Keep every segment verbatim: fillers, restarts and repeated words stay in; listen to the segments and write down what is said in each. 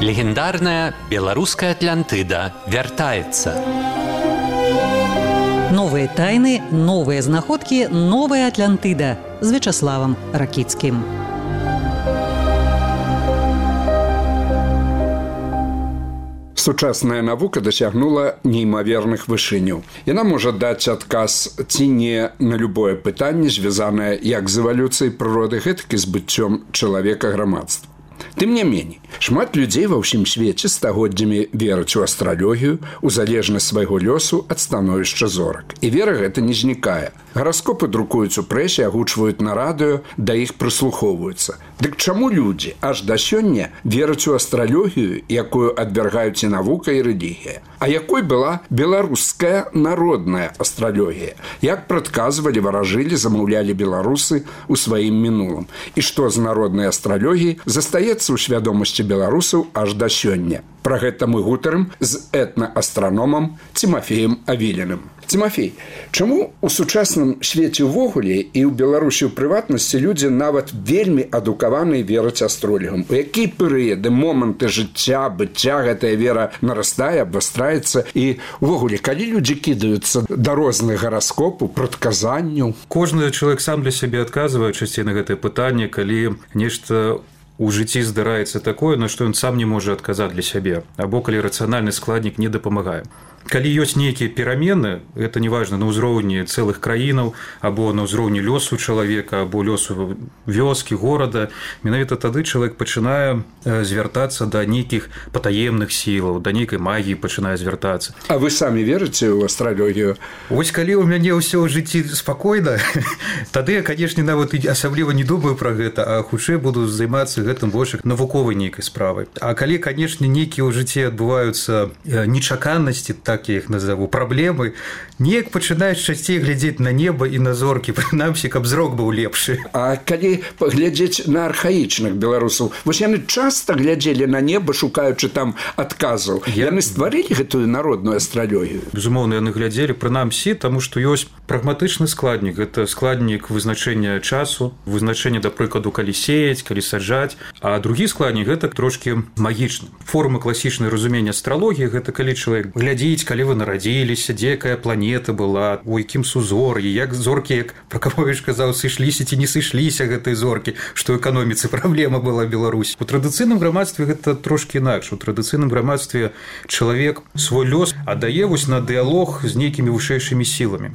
Легендарная белорусская Атлантыда вяртаецца. Новые тайны, новые знаходкі, новая Атлантыда з Вячаславам Ракіцкім. Сучасная навука дасягнула неймаверных вышыняў. Яна можа даць адказ ці не на любое пытанне, звязанае як з эвалюцыяй прыроды, гэтак і з быццём чалавека грамадства. Тым не меней, шмат людзей ва ўсім свеце стагоддзямі вераць у астралогію, у залежнасць свайго лёсу ад становішча зорак. І вера гэта не знікае. Гараскопы друкуюць у прэсе, агучваюць на радыё, да іх прыслухоўваюцца. Дык чаму людзі аж да сёння вераць у астралогію, якую адвяргаюць і навука, і рэлігія? А якой была беларуская народная астралогія? Як прадказвалі, варажылі, замаўлялі беларусы ў сваім мінулым? І што з народнай астралогіяй застаецца ў свядомасці беларусаў аж да сёння? Пра гэта мы гутарым з этна-астраномам Тимофеем Авіліным. Тимофей, чаму у сучасным свеце ўвогуле і ў Беларусі ў прыватнасці людзі нават вельмі адукаваныя вераць астролігам? У якія перыяды, моманты жыцця, быцця гэтая вера нарастае, абвастраецца? І ўвогуле, калі людзі кідаюцца да розных гараскопаў, прадказанняў? Кожны чалавек сам для сябе адказвае часцей на гэтае пытанне, калі нешта у жыцці здараецца такое, на што ён сам не можа адказаць для сябе, або калі рацыянальны складнік не дапамагае. Калі ёсць нейкія перамены, гэта неважна на ўзроўні цэлых краінаў, або на ўзроўні лёсу чалавека, або лёсу вёскі, горада, менавіта тады чалавек пачынае звяртацца да нейкіх патаемных сілаў, да нейкай магіі пачынае звяртацца. А вы самі верыце ў астралогію? Вось калі ў мяне ўсё ў жыцці спакойна, тады я, канешне, нават асабліва не думаю пра гэта, а хутчэй буду займацца гэтым больш навуковай нейкай справай. А калі, канешне, нейкія ў жыцці адбываюцца нечаканасці, так я іх назову, праблемы, неяк пачынаеш часцей глядзець на неба і на зоркі, прынамсі, каб зрок быў лепшы. А калі паглядзець на архаічных беларусаў, вось яны часта глядзелі на неба, шукаючы там адказаў. Я... Яны стварылі гэтую народную астралогію? Безумоўна, яны глядзелі, прынамсі, таму што ёсць прагматычны складнік. Гэта складнік вызначэння часу, вызначэння, да прыкладу, калі сеяць, калі саджаць. А другі складнік – гэта трошкі магічны. Форма класічнай разумення астралогіі – гэта калі чалавек глядзіць, калі вы нарадзіліся, дзе якая планета была, у якім сузор'і, як зоркі, як Пракаповіч казаў, сышліся ці не сышліся гэтыя зоркі, што эканоміцы праблема была в Беларусі. У традыцыйным грамадстве гэта трошкі інакш. У традыцыйным грамадстве чалавек свой лёс аддае вось на дыялог з нейкімі вышэйшымі сіламі.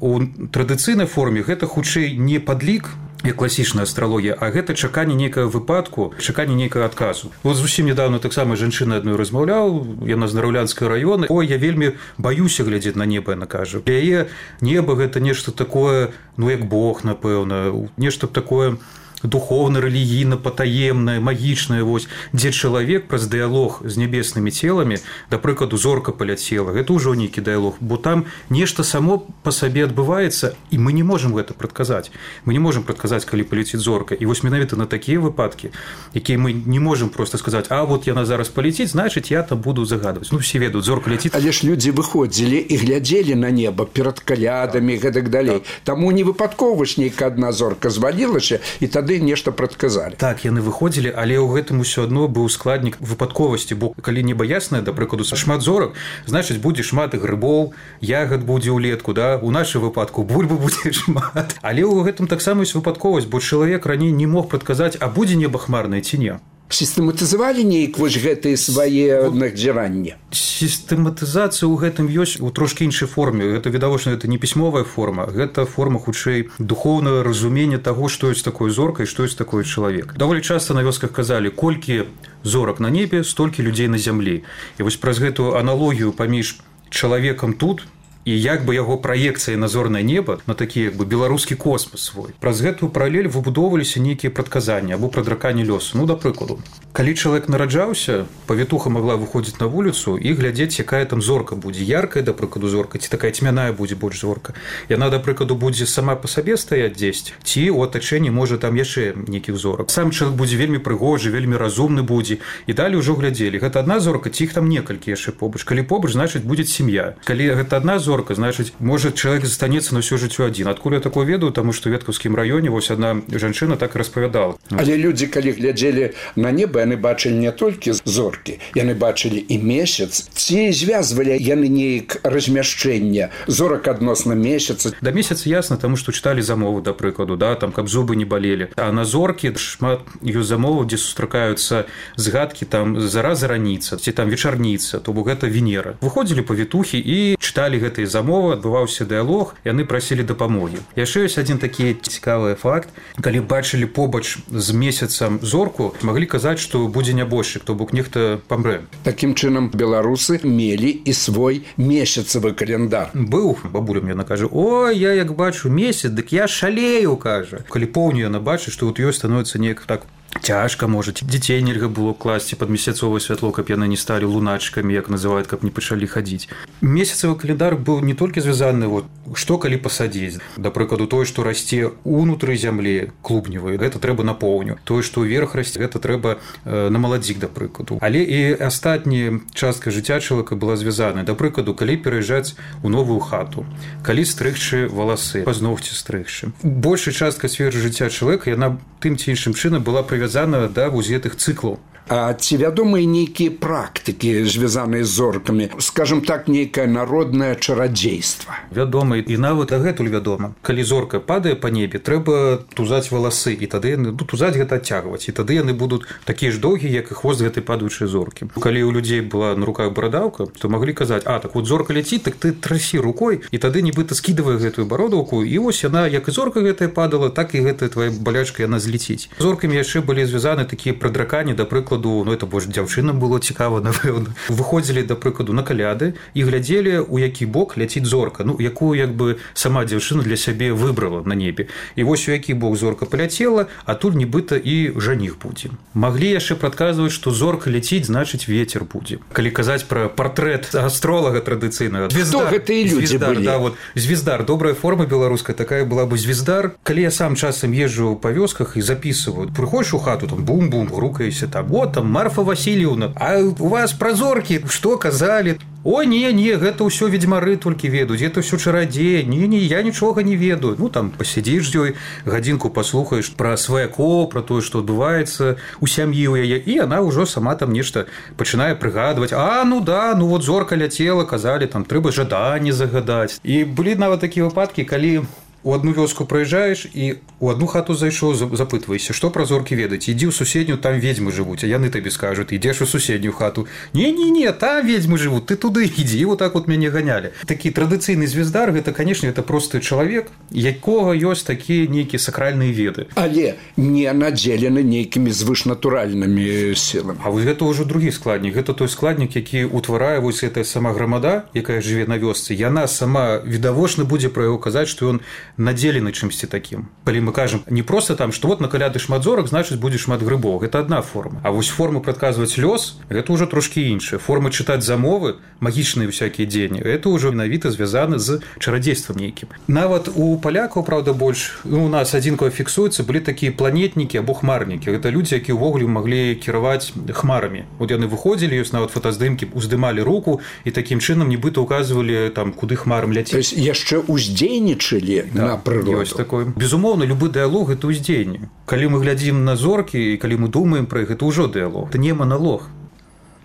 У традыцыйнай форме гэта хутчэй не падлік, як класічная астралогія, а гэта чаканне нейкага выпадку, чаканне нейкага адказу. Вот зусім нядаўна таксама жанчына адной размаўляў, яна з Нараўлянскай раёна. Ой, я вельмі баюся глядзець на неба, яна кажа. Для яе неба гэта нешта такое, ну як Бог, напэўна, нешта такое духовна, рэлігійна, патаемнае, магічнае, вось, дзе чалавек праз дыялог з нябеснымі целамі, да прыкладу, зорка паляцела, гэта ўжо нейкі дыялог, бо там нешта само па сабе адбываецца, і мы не можам гэта прадказаць. Мы не можам прадказаць, калі паляціць зорка. І вось менавіта на такія выпадкі, якія мы не можам проста сказаць, а вот яна зараз паляціць, значыць, я там буду загадваць. Ну, все ведаюць, зорка ляціць. Але ж людзі выходзілі і глядзелі на неба перад калядамі, гэтак далей. Таму не выпадкова ж нейкая адна зорка звалілася, і тады нешта прадказалі. Так, яны выходзілі, але ў гэтым усё адно быў складнік выпадковасці, бо калі неба яснае, да прыкладу, шмат зорак, значыць, будзе шмат грыбоў, ягад будзе ўлетку, да? У нашым выпадку бульбы будзе шмат. Але ў гэтым таксама ёсць выпадковасць, бо чалавек раней не мог прадказаць, а будзе неба хмарнае ці не. Сістэматызавалі нейк вось гэтыя свае назіранні? Сістэматызацыя ў гэтым ёсць у трошкі іншай форме. Гэта, відавочна, гэта не пісьмовая форма, гэта форма, хутчэй, духоўнага разумення таго, што ёсць такое зорка і што ёсць такое чалавек. Даволі часта на вёсках казалі, колькі зорак на небе, столькі людзей на зямлі. І вось праз гэтую аналогію паміж чалавекам тут і як бы яго праекцыя на зорнае неба, на такі як бы беларускі космас свой. Праз гэтую паралель выбудоўваліся нейкія прадказанні або прадраканне лёсу. Ну, да прыкладу, калі чалавек нараджаўся, павітуха магла выходзіць на вуліцу і глядзець, якая там зорка будзе. Яркая, да прыкладу, зорка, ці такая цьмяная будзе больш зорка. Яна, да прыкладу, будзе сама па сабе стаяць дзесьці, ці ў атачэнні можа там яшчэ нейкіх зорак. Сам чалавек будзе вельмі прыгожы, вельмі разумны будзе. І далей ужо глядзелі, гэта адна зорка, ці іх там некалькі яшчэ побач. Калі побач, значыць, будзе сям'я. Калі гэта адна зорка, зорка, значыць можа чалавек застанецца на ўсё жыццё адзін. Адкуль я такое ведаю, таму што ў веткаўскім раёне вось адна жанчына так і распавядала. Але людзі калі глядзелі на неба, яны бачылі не толькі зоркі, яны бачылі і месяц. Ці звязвалі яны неяк размяшчэнне зорак адносна месяца? Да месяца ясна, таму што чыталі замову, да прыкладу, да, там каб зубы не балелі. А на зоркі шмат ёсць замоваў, дзе сустракаюцца згадкі там зара зараніца, ці там вечарніца, то бок гэта Венера. Выходзілі павітухі і чыталі гэтыя замовы, адбываўся дыялог, яны прасілі дапамогі. Яшчэ ёсць адзін такі цікавы факт. Калі бачылі побач з месяцам зорку, маглі казаць, што будзе нябожчык, то бок нехта памрэ. Такім чынам беларусы мелі і свой месяцавы календар. Быў, бабуля мне накажа: "Ой, я як бачу месяц, дык я шалею", кажа. Калі поўню яна бачыць, што вот ёй становіцца неяк так цяжка, можа, дзяцей нельга было класці пад месяцовае святло, каб яны не сталі луначкамі, як называюць, каб не пачалі хадзіць. Месяцавы календар быў не толькі звязаны вот што калі пасадзіць. Да прыкладу, тое, што расце ўнутры зямлі клубневай, гэта трэба на поўню. Тое, што ўверх расце, гэта трэба э, на маладзік, да прыкладу. Але і астатняя частка жыцця чалавека была звязана. Да прыкладу, калі пераязджаць у новую хату, калі стрыгчы валасы, пазногці стрыгчы. Большая частка сферы жыцця чалавека, яна тым ці іншым чынам была прывязана да вось гэтых цыклаў. А ці вядомыя нейкія практыкі, звязаныя з зоркамі, скажем так, нейкае народнае чарадзейства? Вядома, і нават дагэтуль вядома. Калі зорка падае па небе, трэба тузаць валасы, і тады яны, ну, тузаць гэта адцягваць, і тады яны будуць такія ж доўгія, як і хвост гэтай падаючай зоркі. Калі ў людзей была на руках барадаўка, то маглі казаць: "А, так вот зорка ляціць, так ты трасі рукой", і тады нібыта скідавае гэтую бародаўку, і вось яна, як і зорка гэтая падала, так і гэтая твая балячка яна злеціць. Зоркамі яшчэ былі звязаны такія прадракані, да прыкладу, ну это больш дзяўчынам было цікава, напэўна. Выходзілі, да прыкладу, на каляды і глядзелі, у які бок ляціць зорка, ну якую як бы сама дзяўчына для сябе выбрала на небе. І вось у які бок зорка паляцела, а тут нібыта і жаніх будзе. Маглі яшчэ прадказваць, што зорка ляціць, значыць вецер будзе. Калі казаць пра партрэт астролага традыцыйнага, звездар, хто гэтыя людзі звездар, былі? Да, вот, звездар, добрая форма беларуская, такая была бы звездар. Калі я сам часам езджу па вёсках і записываю, прыходзіш у хату, там бум-бум, грукаешся, там вот там Марфа Васильевна, а у вас пра зоркі што казалі? О, не, не, гэта ўсё ведзьмары толькі ведаюць, гэта ўсё чарадзеі, не, не, я нічога не ведаю. Ну, там, пасядзіш з ёй, гадзінку паслухаеш пра сваяко, пра тое, што адбываецца у сям'і ў яе, і яна ўжо сама там нешта пачынае прыгадваць. А, ну да, ну вот зорка ляцела, казалі, там, трэба жаданне загадаць. І былі нават такія выпадкі, калі у одну вёску прыязджаеш і у одну хату зайшоў, запытвайся, што пра зоркі ведаць, ідзі ў суседнюю, там ведзьмы жывуць, а яны табе скажуць, ідзеш у суседнюю хату, не-не-не, там ведзьмы жывуць, ты туды ідзі, вот так вот мяне ганялі. Такі традыцыйны звездар, гэта, канешне, это просты чалавек, якога ёсць такія нейкія сакральныя веды. Але не надзелены нейкімі звышнатуральнымі сіламі. А вось гэта ўжо другі складнік, гэта той складнік, які ўтварае вось гэтая сама грамада, якая жыве на вёсцы, яна сама відавочна будзе пра яго казаць, што ён надзелены чымсьці такім. Калі мы кажам не проста там, што вот на каляды шмат зорак, значыць будзе шмат грыбоў. Гэта адна форма. А вось форма прадказваць лёс, гэта ўжо трошкі іншая. Форма чытаць замовы, магічныя всякія дзеянні, гэта ўжо менавіта звязана з чарадзействам нейкім. Нават у палякаў, правда, больш, ну, у нас адзінкава фіксуецца, былі такія планетнікі або хмарнікі. Гэта людзі, якія ўвогуле маглі кіраваць хмарамі. Вот яны выходзілі, ёсць нават фотаздымкі, уздымалі руку і такім чынам нібыта указвалі там, куды хмарам ляціць. То есть яшчэ уздзейнічалі да, на прыроду. Ёсць такое. Безумоўна, любы дыялог – гэта ўздзеянне. Калі мы глядзім на зоркі і калі мы думаем пра іх, гэта ўжо дыялог. Это не маналог.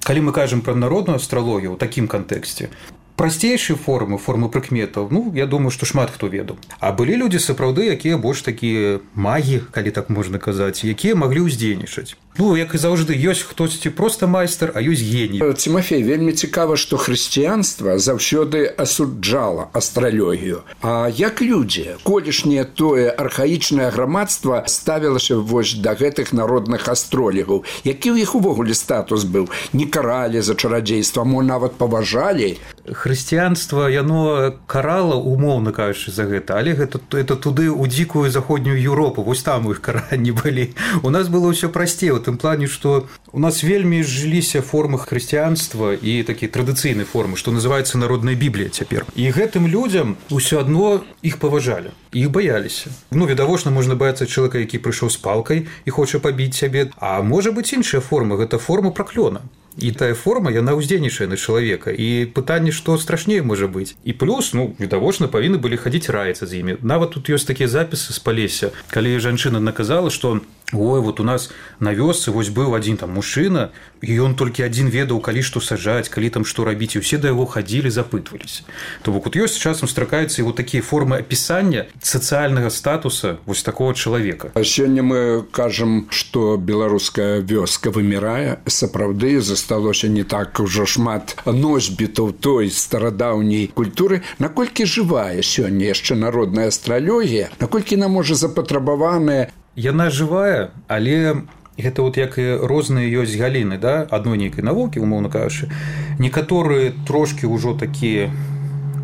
Калі мы кажам пра народную астралогію ў такім кантэксце, прасцейшыя формы, формы прыкметаў, ну, я думаю, што шмат хто ведаў. А былі людзі сапраўды, якія больш такія магі, калі так можна казаць, якія маглі ўздзейнічаць. Ну, як і заўжды, ёсць хтосьці проста майстар, а ёсць геній. Цімафей, вельмі цікава, што хрысціянства заўсёды асуджала астралогію. А як людзі, колішняе тое архаічнае грамадства ставілася вось да гэтых народных астролігаў? Які ў іх увогуле статус быў? Не каралі за чарадзейства, мо нават паважалі? Хрысціянства, яно карала, умоўна кажучы, за гэта, але гэта, это туды ў дзікую заходнюю Еўропу, вось там у іх каранні былі. У нас было ўсё прасцей, у тым плане, што у нас вельмі жыліся формы хрысціянства і такія традыцыйныя формы, што называецца народная Біблія цяпер. І гэтым людзям ўсё адно іх паважалі, іх баяліся. Ну, відавочна, можна баяцца чалавека, які прыйшоў з палкай і хоча пабіць сябе, а можа быць іншая форма, гэта форма праклёна. і тая форма яна ўздзейнічае на чалавека і пытанне што страшней можа быць і плюс ну відавочна павінны былі хадзіць раіцца з імі нават тут ёсць такія запісы з Палесся калі жанчына наказала што ой вот у нас на вёсцы вось быў адзін там мужчына і ён толькі адзін ведаў калі што сажаць калі там што рабіць і ўсе да яго хадзілі запытваліся то бок вот ёсць часам стракаюцца і вот такія формы апісання сацыяльнага статуса вось такого чалавека. Сёння мы кажам што беларуская вёска вымірае сапраўды засталося не так ужо шмат носьбітаў той старадаўняй культуры наколькі жывая сёння яшчэ народная астралогія наколькі нам можа запатрабаваная. Яна жывая, але гэта вот як і розныя ёсць галіны, да, адной нейкай навукі, умоўна кажучы. Некаторыя трошкі ўжо такія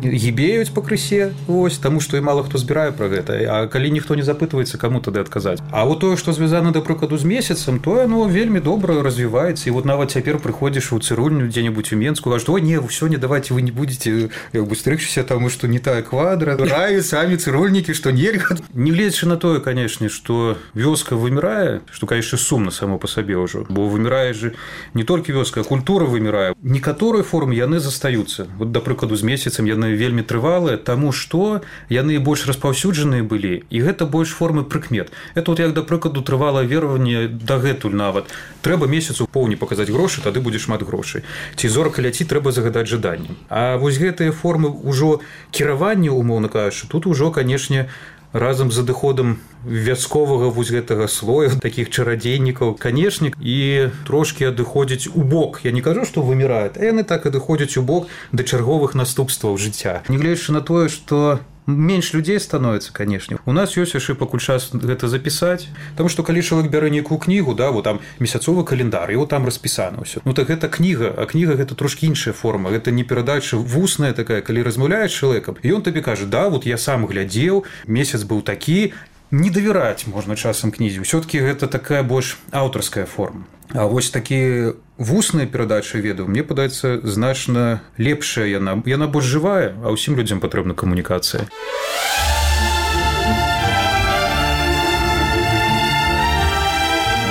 гібеюць пакрысе, вось, таму што і мала хто збірае пра гэта, а калі ніхто не запытваецца, каму тады адказаць. А вот тое, што звязана, да прыкладу, з месяцам, тое оно вельмі добра развіваецца, і вот нават цяпер прыходзіш у цырульню дзе-небудзь у Менску, кажаш, ой, не, сёння давайте вы не будете як бы стрыгчыся, таму што не тая квадра, раюць самі цырульнікі, што нельга. Не гледзячы на тое, канешне, што вёска вымірае, што, канешне, сумна само па сабе ўжо, бо вымірае же не толькі вёска, а культура вымірае. Некаторыя формы яны застаюцца. Вот, да прыкладу, з месяцам яны вельмі трывалыя, таму што яны больш распаўсюджаныя былі, і гэта больш формы прыкмет. Это вот як, да прыкладу, трывалае вераванне дагэтуль нават. Трэба месяцу поўні паказаць грошы, тады будзе шмат грошай. Ці зорка ляці, трэба загадаць жаданнем. А вось гэтыя формы ўжо кіравання, умоўна кажучы, тут ужо, канешне, разам з адыходам вясковага вось гэтага слоя, такіх чарадзейнікаў, канешне, і трошкі адыходзяць у бок. Я не кажу, што выміраюць, а яны так адыходзяць у бок да чарговых наступстваў жыцця. Нягледзячы на тое, што менш людзей становіцца, канешне. У нас ёсць яшчэ пакуль час гэта запісаць, таму што калі чалавек бярэ нейкую кнігу, да, вот там месяцовы календар, і вот там распісана ўсё. Ну так гэта кніга, а кніга гэта трошкі іншая форма, гэта не перадача вусная такая, калі размаўляеш з чалавекам, і ён табе кажа, да, вот я сам глядзеў, месяц быў такі, не давяраць можна часам кнізе. Усё-такі гэта такая больш аўтарская форма. А вось такі вусная перадача ведаў, мне падаецца, значна лепшая яна. Яна больш жывая, а ўсім людзям патрэбна камунікацыя.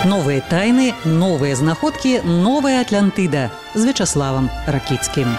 Новыя тайны, новыя знаходкі, новая Атлантыда з Вячаславам Ракіцкім.